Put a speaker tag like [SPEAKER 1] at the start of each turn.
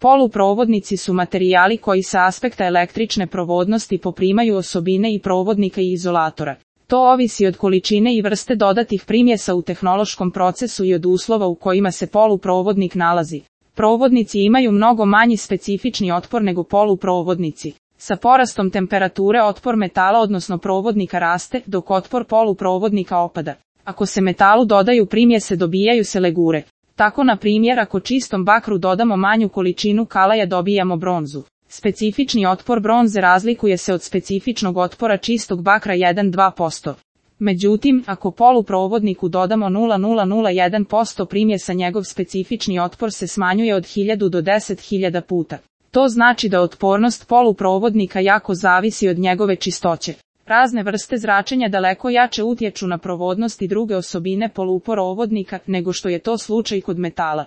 [SPEAKER 1] Poluprovodnici su materijali koji sa aspekta električne provodnosti poprimaju osobine i provodnika i izolatora. To ovisi od količine i vrste dodatih primjesa u tehnološkom procesu i od uslova u kojima se poluprovodnik nalazi. Provodnici imaju mnogo manji specifični otpor nego poluprovodnici. Sa porastom temperature otpor metala odnosno provodnika raste, dok otpor poluprovodnika opada. Ako se metalu dodaju primjese dobijaju se legure. Tako na primjer ako čistom bakru dodamo manju količinu kalaja dobijamo bronzu. Specifični otpor bronze razlikuje se od specifičnog otpora čistog bakra 1-2%. Međutim, ako poluprovodniku dodamo 0,001% primjesa njegov specifični otpor se smanjuje od 1000 do 10.000 puta. To znači da otpornost poluprovodnika jako zavisi od njegove čistoće. Razne vrste zračenja daleko jače utječu na provodnost i druge osobine poluprovodnika nego što je to slučaj kod metala.